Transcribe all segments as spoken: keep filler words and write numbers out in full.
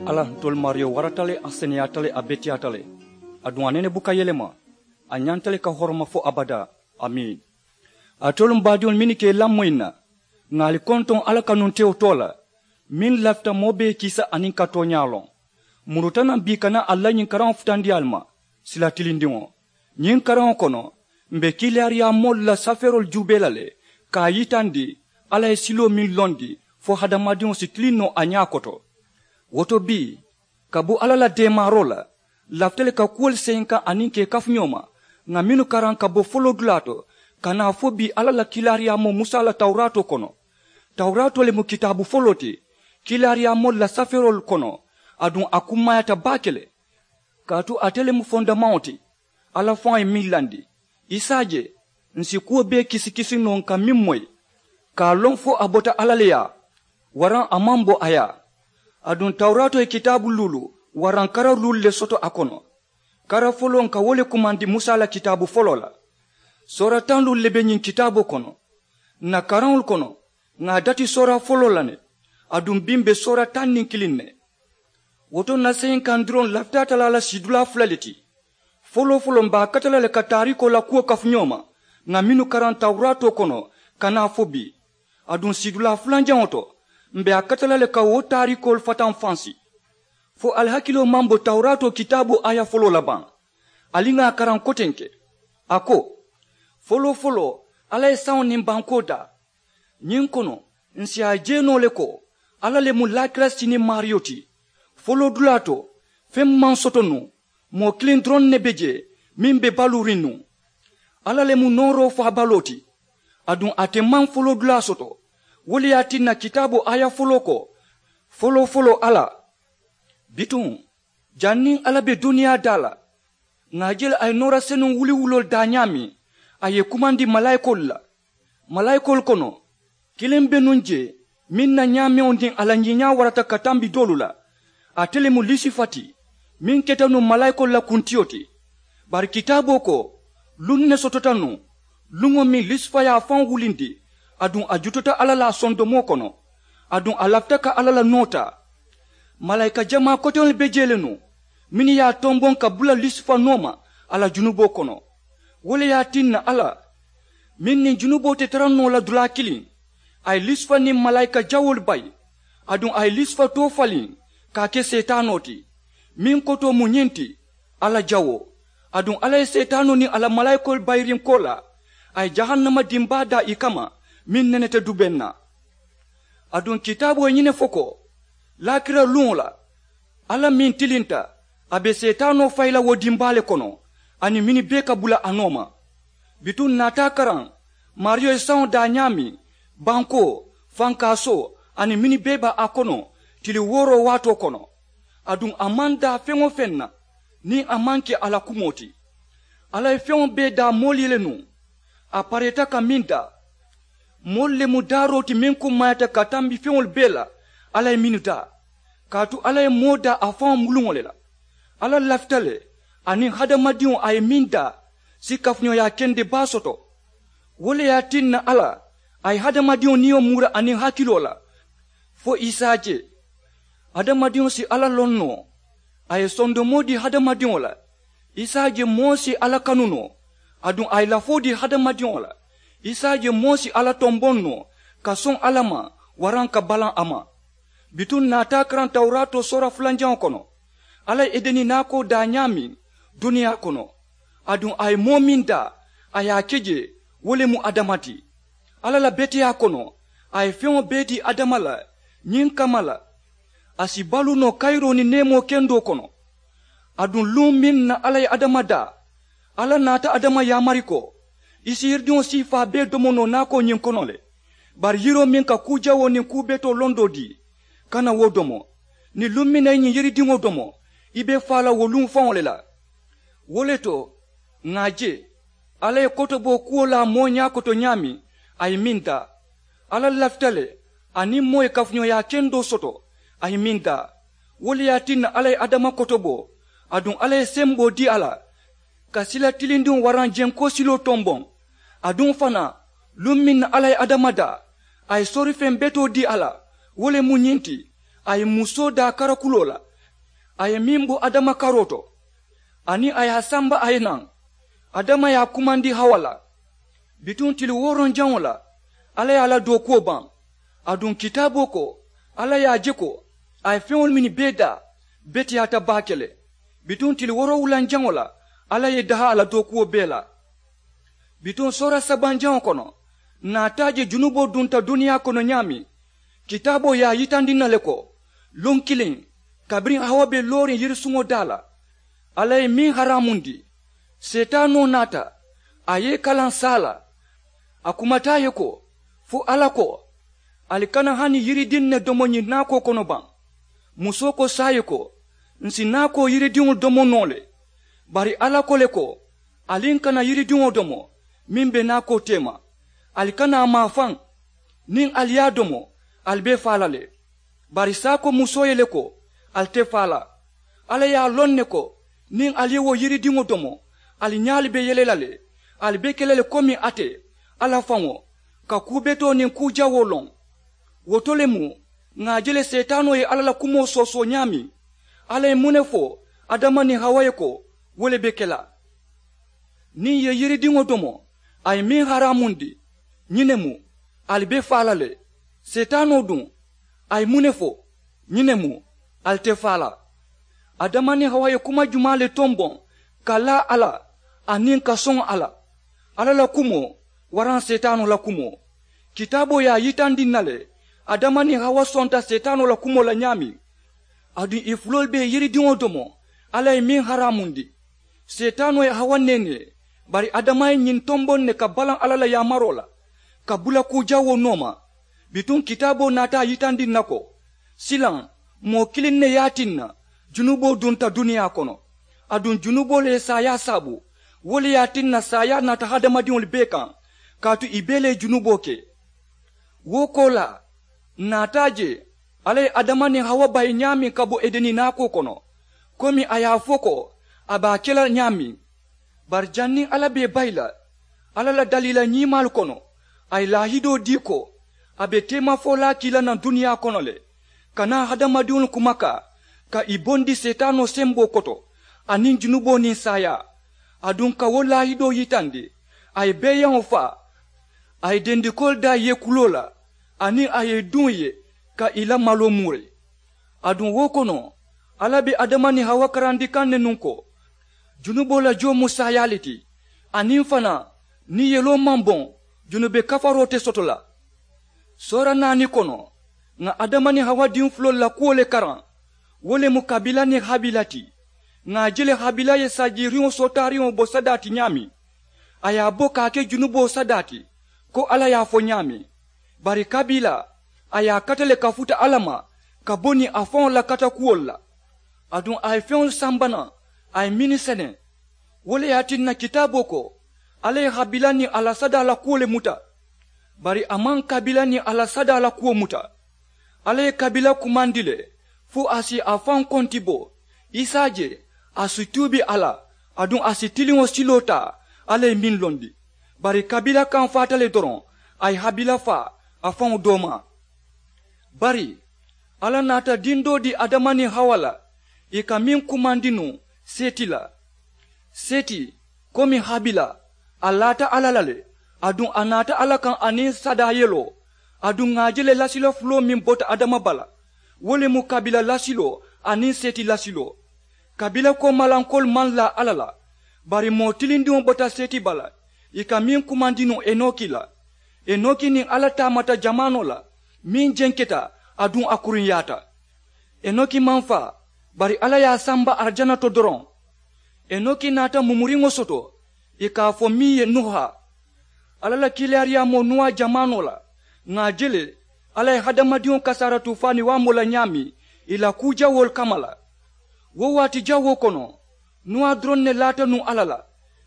Alla ntolu maariyo warata le, a seneyaata le, a beteyaata le. Aduŋ a nene buka yelema. A ñanta le ka horoma fo abadaa. Amiin. Alitolu m baadiŋolu mennu ka i lamoyi n na, ŋà ali kontoŋ alla kanuntewo too la, meŋ lafita moo bee kiisa aniŋ ka tooñaa loŋ. Muruta naŋ bii ka naa ali la ñiŋ karaŋo futandi ali ma, sila tilindiŋo. Ñiŋ karaŋo kono, m̀ be kiilaariyaa moolu la safeeroolu juubee la le, ka a yitandi alla ye siloo meŋ londi, fo hadamadiŋo si tiliŋ noo a ñaa koto. Wo to bii, kabu alla la deemaaroo la, lafita le ka kuwolu seyinkaŋ aniŋ ka i kafu ñoo ma, ŋà mennu karaŋ ka bo foloodulaa to, ka naa fo bii alla la kiilaariyaamoo musa la tawuraatoo kono. Tawuraatoo le mu kitaabu foloo ti kiilaariyaamoolu la safeeroolu kono. Aduŋ a kummaayaata baake le, kaatu ate le mu fondamaŋo ti alla faŋo ye meŋ landi. I si a je, ǹ si kuwo bee kisikisi noo ǹ ka meŋ moyi, ka a loŋ fo a bota alla le yaa, waraŋ a maŋ bo a yaa. Aduŋ tawuraatoo ye kitaabu luulu waraŋ kara luulu le soto a kono. Kara foloo ǹ ka wo le kumandi musa la kitaabu foloo la. Soora taŋ luulu le be ñiŋ kitaaboo kono. Ǹ na karaŋolu kono, ŋà a dati soora foloo la ne. Aduŋ bii m̀ be soora taŋ niŋ kiliŋ ne. Wo to ǹ na seyinkaŋ doroŋ lafita a tara a la siidulaa fula le ti. Foloo foloo m̀ be a kata la le ka taariikoo la kuwo kafu ñoo ma, ŋà mennu karaŋ tawuraatoo kono, ka naa fo bii. Aduŋ siidulaa fulanjaŋo to, m̀ be a kata la le ka wo taariikoolu fataŋ fansi. Fo ali hakiloo maŋ bo tawuraatoo kitaaboo aaya foloo la baŋ? Ali ŋà a karaŋ kotenke. A ko, foloo foloo, alla ye saŋo niŋ bankoo daa. Ñiŋ kono, ǹ si a je noo le ko, alla le mu laakira siniŋ maariyo ti. Foloodulaa to, feŋ maŋ soto nuŋ, moo kiliŋ doroŋ ne be jee, meŋ be baluuriŋ nuŋ. Alla le mu nooroo faabaloo ti. Aduŋ ate maŋ foloodulaa soto. Wo le ye a tinna kitaaboo aaya foloo ko, foloo foloo alla. Bituŋ, janniŋ alla be duniyaa daa la, ŋà a je le a ye noora senuŋ wuliwuloolu daa ñaameŋ, a ye i kumandi malaayikoolu la. Malaayikoolu kono, kiliŋ be nuŋ jee, meŋ na ñaameŋo niŋ a la ñiiñaa warata ka tambi doolu la. Ate le mu lisifa ti, meŋ keta nuŋ malaayikoolu la kuntiyo ti. Bari kitaaboo ko, luŋ ne sotota nuŋ, luŋo meŋ lisifa ye a faŋo wulindi, aduŋ a jutata alla la a sondomoo kono, aduŋ a lafita ka alla la noo taa. Malaayika jamaa koteŋolu be jee le nuŋ, mennu ye a tomboŋ ka bula lisifa nooma a la junuboo kono. Wo le ye a tinna alla, meŋ niŋ junuboo te tara noo la dulaa kiliŋ, a ye lisifa niŋ malaayika jawoolu bayi, aduŋ a ye lisifa too faliŋ ka a ke seetaanoo ti. Meŋ kotoo mu ñiŋ ti, alla jawoo. Aduŋ alla ye seetaanoo niŋ a la malaayikoolu bayiriŋ koolaa, a ye jahannama dimbaa daa ì kamma, meŋ neneta dubeŋ na. Aduŋ kitaaboo ye ñiŋ ne fo ko, laakira luŋo la, alla meŋ tilinta, a be seetaanoo fayi la wo dimbaa le kono, aniŋ mennu bee ka bula a nooma. Bituŋ ǹ naata a karaŋ, maariyo ye saŋo daa ñaameŋ, bankoo, fankaasoo, aniŋ mennu bee be a kono, tili wooroo waatoo kono. Aduŋ a maŋ daa feŋ-wo-feŋ na, niŋ a maŋ ke a la kumoo ti. Alla ye feŋo bee daa moolu ye le nuŋ, a pareeta ka meŋ daa. Moolu le mu daaroo ti meŋ kummaayaata ka tambi feŋolu bee la, alla ye mennu daa. Kaatu alla ye moo daa a faŋo muluŋo le la. Alla lafita le, aniŋ hadamadiŋo a ye meŋ daa, si kafuñooyaa kende baa soto. Wo le ye a tinna alla, a ye hadamadiŋo niyo muura aniŋ hakiloo la, fo i si a je. Hadamadiŋo si alla loŋ noo, a ye sondomoo dii hadamadiŋo la. I si a je moo si alla kanu noo, aduŋ a ye lafoo dii hadamadiŋo la. I si a je moo si alla tomboŋ noo, ka soŋ alla ma, waraŋ ka balaŋ a ma. Bituŋ ǹ naata a karaŋ tawuraatoo soora fulanjaŋo kono, alla ye edeni naakoo daa ñaameŋ duniyaa kono, aduŋ a ye moo meŋ daa, a ye a ke jee, wo le mu adama ti. Alla la beteyaa kono, a ye feŋo bee dii adama la ñiŋ kamma la, a si baluu noo kayiroo niŋ neemoo kendoo kono. Aduŋ luŋ meŋ na alla ye adama daa, alla naata adama yaamari ko, i si yiridiŋo siifaa bee domo noo naakoo ñiŋ kono le. Bari yiroo meŋ ka kuu jawoo niŋ kuu betoo londoo dii, kana wo domo. Niŋ luŋ meŋ na i ñiŋ yiridiŋo domo, i be faa la wo luŋ faŋo le la. Wo le to, ŋà a je, alla ye kotoboo kuwo laa moo ñaa koto ñaameŋ, a ye meŋ daa. Alla lafita le, aniŋ moo ye kafuñooyaa kendoo soto, a ye meŋ daa. Wo le ye a tinna alla ye adama kotoboo, aduŋ alla ye semboo dii a la, ka sila tilindiŋo waraŋ jenkoo siloo tomboŋ. Aduŋ fanaa, luŋ meŋ na alla ye adama daa, a ye soorifeŋ betoo dii a la. Wo le mu ñiŋ ti, a ye musoo daa karakuloo la, A ye meŋ bo adama karoo to, aniŋ a ye a samba a ye naŋ. Adama ye a kumandi hawa la. Bituŋ tili wooroŋ jaŋo la, alla ye a la dookuwo baŋ. Aduŋ kitaaboo ko, alla ye a je ko a ye feŋolu mennu bee daa, beteyaata baake le. Bituŋ tili woorowulaŋ jaŋo la, alla ye i dahaa a la dookuwo bee la. Bituŋ soora sabanjaŋo kono, ǹ naata a je junuboo dunta duniyaa kono ñaameŋ. Kitaaboo ye a yitandi ǹ na le ko, luŋ kiliŋ, kabiriŋ hawa be looriŋ yirisuŋo daa la, alla ye meŋ haraamundi, seetaanoo naata, a ye i kalaŋ saa la. A kumata a ye ko, fo alla ko, ali kana hani yiridiŋ ne domo ñiŋ naakoo kono baŋ? Musoo ko saayiŋ ko, ǹ si naakoo yiridiŋo domo noo le. Bari alla ko le ko, ali ǹ kana yiridiŋo domo meŋ be naakoo teema. Ali kana a maafaŋ. Niŋ ali ye a domo, ali be faa la le. Bari saayiŋ ko musoo ye le ko, ali te faa la. Alla ye a loŋ ne ko, niŋ ali ye wo yiridiŋo domo, ali ñaalu be yele la le. Ali be ke la le komi ate, alla faŋo, ka kuu betoo niŋ kuu jawoo loŋ. Wo to le mu, ŋà a je le seetaanoo ye alla la kumoo soosoo ñaameŋ. Alla ye muŋ ne fo adama niŋ hawa ye ko, wo le be ke la. Niŋ ì ye yiridiŋo domo, a ye meŋ haraamundi, ñiŋ ne mu, ali be faa la le. Seetaanoo duŋ, a ye muŋ ne fo? Ñiŋ ne mu, ali te faa la. Adama niŋ hawa ye kuma jumaa le tomboŋ, ka laa alla, aniŋ ka soŋ alla? Alla la kumoo, waraŋ seetaanoo la kumoo? Kitaaboo ye a yitandi ǹ na le, adama niŋ hawa sonta seetaanoo la kumoo la ñaameŋ. Aduŋ ì fuloolu be yiridiŋo domo, alla ye meŋ haraamundi. Seetaanoo ye hawa neenee, bari adama ye ñiŋ tomboŋ ne ka balaŋ alla la yaamaroo la, ka bula kuu jawoo nooma. Bituŋ kitaaboo naata a yitandi ǹ na ko, silaŋ, moo kiliŋ ne ye a tinna junuboo dunta duniyaa kono. Aduŋ junuboo le ye saayaa saabu. Wo le ye a tinna saayaa naata hadamadiŋolu bee kaŋ, kaatu ì bee le ye junuboo ke. Wo koolaa, ǹ naata a je alla ye adama niŋ hawa bayi ñaameŋ ka bo edeni naakoo kono, komi a ye a fo ko a be a ke la ñaameŋ. Bari janniŋ alla be i bayi la alla la daliila ñiimaalu kono, a ye laahidoo dii ko a be teemafolaa ke ì la naŋ duniyaa kono le, ka naa hadamadiŋolu kumakaa, ka ì bondi seetaanoo semboo koto, aniŋ junuboo niŋ saayaa. Aduŋ ka wo laahidoo yitandi, a ye beeyaŋo faa, a ye dendikoolu daa yeekuloo la, aniŋ a ye i duŋ ì ye, ka ì la maloo muuri. Aduŋ wo kono, alla be adama niŋ hawa karandi kaŋ ne nuŋ ko, junuboo la joo mu saayaa le ti. Aniŋ fanaa, niŋ yeloo maŋ boŋ, junube kafaroo te soto la. Soora naani kono, ŋà adama niŋ hawa diŋ fuloolu la kuwo le karaŋ. Wo le mu kabila niŋ habila ti. Ŋà a je le habila ye sajiiriŋo sootaariŋo bo sadaa ti ñaameŋ, a ye a bo ka a ke junuboo sadaa ti, ko alla ye a fo ñaameŋ. Bari kabila, a ye a kata le ka futa alla ma, ka bo niŋ a faŋo la katakuwolu la. Aduŋ a ye feŋolu samba naŋ, a ye mennu seneŋ. Wo le ye a tinna kitaaboo ko, alla ye habila niŋ a la sadaa la kuwo le muta. Bari a maŋ kabila niŋ a la sadaa la kuwo muta. Alla ye kabila kumandi le, fo a si a faŋ konti bo. I si a je, a si tuubi a la, aduŋ a si tiliŋo siloo taa, alla ye meŋ londi. Bari kabila kaŋ faata le doroŋ, a ye habila faa, a faŋo doomaa. Bari alla naata diŋ doo dii adama niŋ hawa la, ì ka meŋ kumandi nuŋ, seti la. Seti, komi habila, a laata alla la le. Aduŋ a naata alla kaŋ aniŋ sadaa yeloo. Aduŋ ŋà a je le lasila fuloo meŋ bota adama bala, wo le mu kabila lasiloo aniŋ seti lasiloo. Kabila koomalankoolu maŋ laa alla la. Bari moo tilindiŋo bota seti bala, ì ka meŋ kumandi nuŋ enoki la. Enoki niŋ alla taamata jamaanoo la, meŋ jenketa, aduŋ a kuruŋyaata. Enoki maŋ faa, bari alla ye a samba arijana to doroŋ. Enoki naata mumuriŋo soto, ì ka a fo meŋ ye nuha. Alla la kiilaariyaamoo nuwa jamaanoo la, ŋà a je le, alla ye hadamadiŋo kasaara tuufaani waamoo la ñaameŋ, ì la kuu jawoolu kamma la. Wo waati jawoo kono, nuwa doroŋ ne laata nuŋ alla la,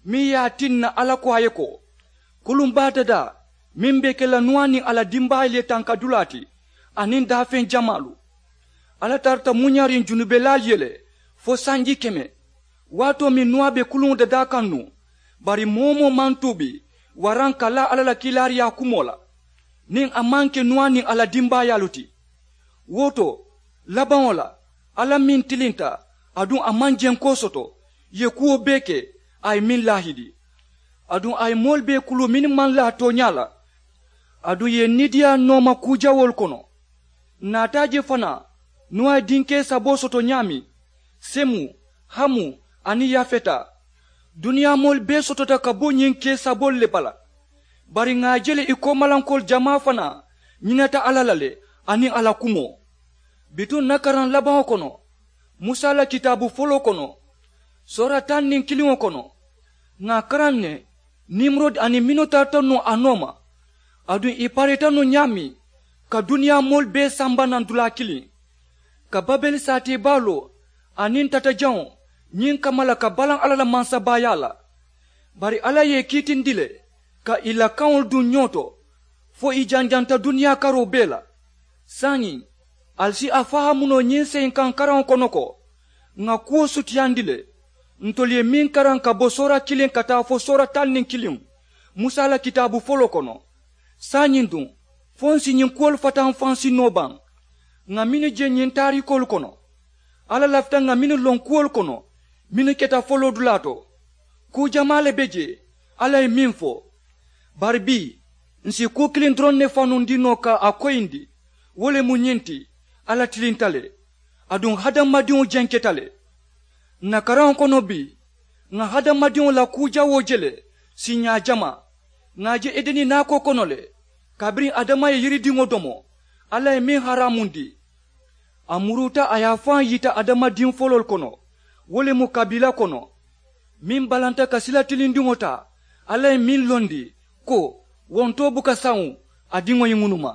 meŋ ye a tinna alla ko a ye ko, kuluŋ baa dadaa meŋ be ke la nuwa niŋ a la dimbaayaalu ye tankadulaa ti, aniŋ daafeŋ jamaalu. Alla tarata muñariŋ junubelaalu ye le, fo sanji keme. Waatoo meŋ nuwa be kuluŋo dadaa kaŋ nuŋ, bari moo-wo-moo maŋ tuubi, waraŋ ka laa alla la kiilaariyaa kumoo la, niŋ a maŋ ke nuwa niŋ a la dimbaayaalu ti. Wo to, labaŋo la, alla meŋ tilinta, Aduŋ a maŋ jenkoo soto, ì ye kuwo bee ke, a ye meŋ laahidi. Aduŋ a ye moolu bee kuluu mennu maŋ laa tooñaa la. Aduŋ ì ye niidiyaa nooma kuu jawoolu kono. Ǹ naata a je fanaa, nuwa ye dinkee saboo soto ñaameŋ, semu, hamu, aniŋ yafeta. Duniyaa moolu bee sotota ka bo ñiŋ kee saboolu le bala. Bari ŋà a je le ì koomalankoolu jamaa fanaa ñinata alla la le, aniŋ a la kumoo. Bituŋ ǹ na karaŋ labaŋo kono, musa la kitaabu foloo kono, soora taŋ niŋ kiliŋo kono, ŋà a karaŋ ne, nimurodi aniŋ mennu tarata nuŋ a nooma, aduŋ ì pareeta nuŋ ñaameŋ ka duniyaa moolu bee samba naŋ dulaa kiliŋ, ka babeli saatee baa loo aniŋ tatajaŋo ñiŋ kamma la ka balaŋ alla la mansabaayaa la. Bari alla ye ì kiitindi le ka ì la kaŋolu duŋ ñoo to, fo ì janjanta duniyaa karoo bee la. Saayiŋ, ali si a fahaamu noo ñiŋ seyinkaŋ karaŋo kono ko, ŋà kuwo sutiyandi le, ntolu ye meŋ karaŋ ka bo soora kiliŋ ka taa fo soora taŋ niŋ kiliŋ, musa la kitaabu foloo kono. Saayiŋ duŋ, fo ǹ si ñiŋ kuwolu fataŋ faŋ si noo baŋ? Ŋà mennu je ñiŋ taariikoolu kono, alla lafita ŋà mennu loŋ kuwolu kono mennu keta foloodulaa to. Kuu jamaa le be jee alla ye meŋ fo. Bari bii, ǹ si kuu kiliŋ doroŋ ne fanundi noo ka a koyindi, wo le mu ñiŋ ti, alla tilinta le, aduŋ hadamadiŋo jenketa le. Ǹ na karaŋo kono bii, ŋà hadamadiŋo la kuu jawoo je le, siiñaa jamaa. Ŋà a je edeni naakoo kono le, kabiriŋ adama ye yiridiŋo domo, alla ye meŋ haraamundi. A muruuta a ye a faŋ yita adamadiŋ foloolu kono, wo le mu kabiila kono, meŋ balanta ka sila tilindiŋo taa, alla ye meŋ londi ko, wontoo buka sawuŋ a diŋo ye ŋunuma.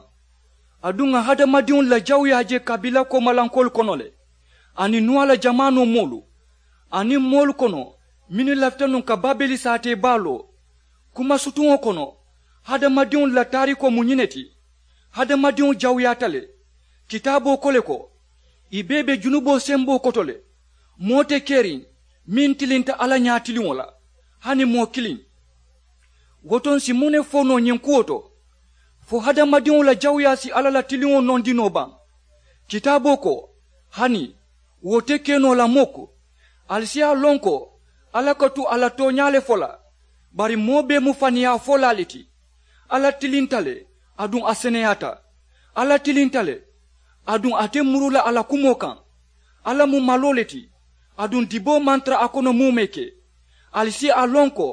Aduŋ ŋà hadamadiŋolu la jawuyaa je kabiila koomalankoolu kono le, aniŋ nuwa la jamaanoo moolu, aniŋ moolu kono mennu lafita nuŋ ka babeli saatee baa loo. Kuma sutuŋo kono, hadamadiŋolu la taariikoo mu ñiŋ ne ti. Hadamadiŋo jawuyaata le. Kitaaboo ko le ko, ì bee be junuboo semboo koto le. Moo te keriŋ meŋ tilinta alla ñaatiliŋo la, hani moo kiliŋ. Wo to ǹ si muŋ ne fo noo ñiŋ kuwo to? Fo hadamadiŋo la jawuyaa si alla la tiliŋo nondi noo baŋ? Kitaaboo ko, hani, wo te ke noo la mukku. Ali si a loŋ ko, alla ka tu a la tooñaa le fo la. Bari moo bee mu faniyaa folaa le ti. Alla tilinta le, aduŋ a seneyaata. Alla tilinta le, aduŋ a te muru la a la kumoo kaŋ. Alla mu maloo le ti, aduŋ diboo maŋ tara a kono muumee ke. Ali si a loŋ ko,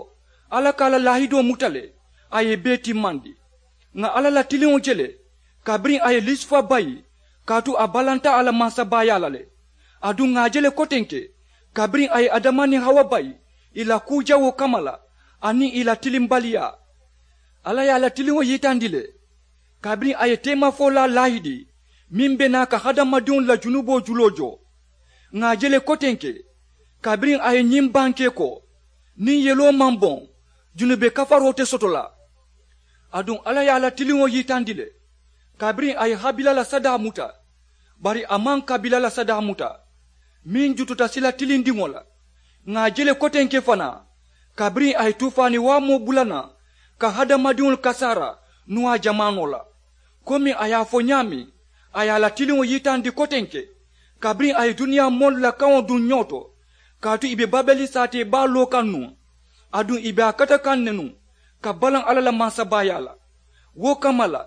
alla ka a la laahidoo muta le, a ye i bee timmandi. Ŋà alla la tiliŋo je le, kabiriŋ a ye lusifa bayi, kaatu a balanta a la mansabaayaa la le. Aduŋ ŋà a je le kotenke, kabiriŋ a ye adama niŋ hawa bayi ì la kuu jawoo kamma la, aniŋ ì la tilimbaliyaa. Alla ye a la tiliŋo yitandi le, kabiriŋ a ye teemafolaa laahidi meŋ be naa ka hadamadiŋolu la junuboo juloo joo. Ŋà a je le kotenke, kabiriŋ a ye ñiŋ bankee ko, niŋ yeloo maŋ boŋ, junube kafaroo te soto la. Aduŋ alla ye a la tiliŋo yitandi le, kabiriŋ a ye habila la sadaa muta, bari a maŋ kabila la sadaa muta, meŋ jututa sila tilindiŋo la. Ŋà a je le kotenke fanaa, kabiriŋ a ye tuufaani waamoo bula naŋ ka hadamadiŋolu kasaara nuwaa jamaanoo la. Komi a ye a fo ñaameŋ, a ye a la tiliŋo yitandi kotenke, kabiriŋ a ye duniyaa moolu la kaŋo duŋ ñoo to, kaatu ì be babeli saatee baa loo kaŋ nuŋ, aduŋ ì be a kata kaŋ ne nuŋ ka balaŋ alla la mansabaayaa la. Wo kamma la,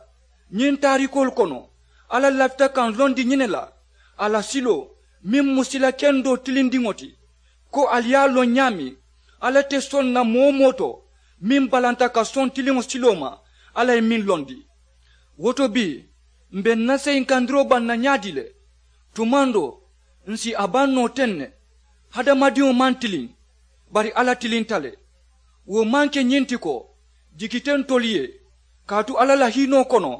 ñiŋ taariikoolu kono, alla lafita ka n londi ñiŋ ne la, a la siloo, meŋ mu sila kendoo tilindiŋo ti, ko ali ye a loŋ ñaameŋ, alla te soŋ na moo-wo-moo to meŋ balanta ka soŋ tiliŋo siloo ma, alla ye meŋ londi. Wo to bii, m̀ be ǹ na seyinkandiroo baŋ na ñaadii le? Tumaŋ doo, ǹ si a baŋ noo teŋ ne. Hadamadiŋo maŋ tiliŋ, bari alla tilinta le. Wo maŋ ke ñiŋ ti ko, jikite ntolu ye, kaatu alla la hiinoo kono,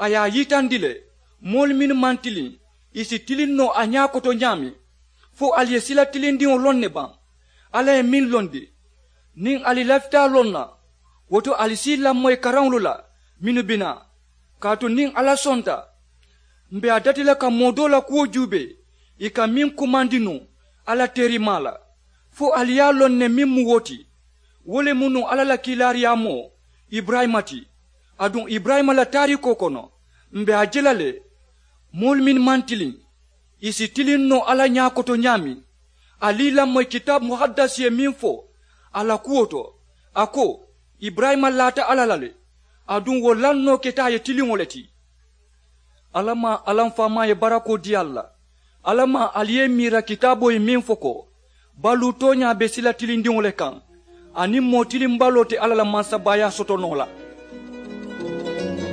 a ye a yitandi le, moolu mennu maŋ tiliŋ, ì si tiliŋ noo a ñaa koto ñaameŋ. Fo ali ye sila tilindiŋo loŋ ne baŋ? Alla ye meŋ londi. Niŋ ali lafita a loŋ na, wo to ali si ì lamoyi karaŋolu la mennu bi naa. Kaatu niŋ alla sonta, m̀ be a dati la ka moo doo la kuwo juubee, ì ka meŋ kumandi nuŋ alla teerimaa la, fo ali ye a loŋ ne meŋ mu wo ti. Wo le mu nuŋ alla la kiilaariyaamoo iburayima ti. Aduŋ iburayima la taariikoo kono, m̀ be a je la le, moolu mennu maŋ tiliŋ, ì si tiliŋ noo alla ñaa koto ñaameŋ. Ali i lamoyi kitaabu muhaddasi ye meŋ fo a la kuwo to, a ko, iburayima laata alla la le, aduŋ wo lannoo keta a ye tiliŋo le ti. Alla maa, alla m faamaa ye barakoo dii ali la. Alla maa, ali ye i miira kitaaboo ye meŋ fo ko, baluu tooñaa be sila tilindiŋo le kaŋ, aniŋ moo tilimbaloo te alla la mansabaayaa soto noo la.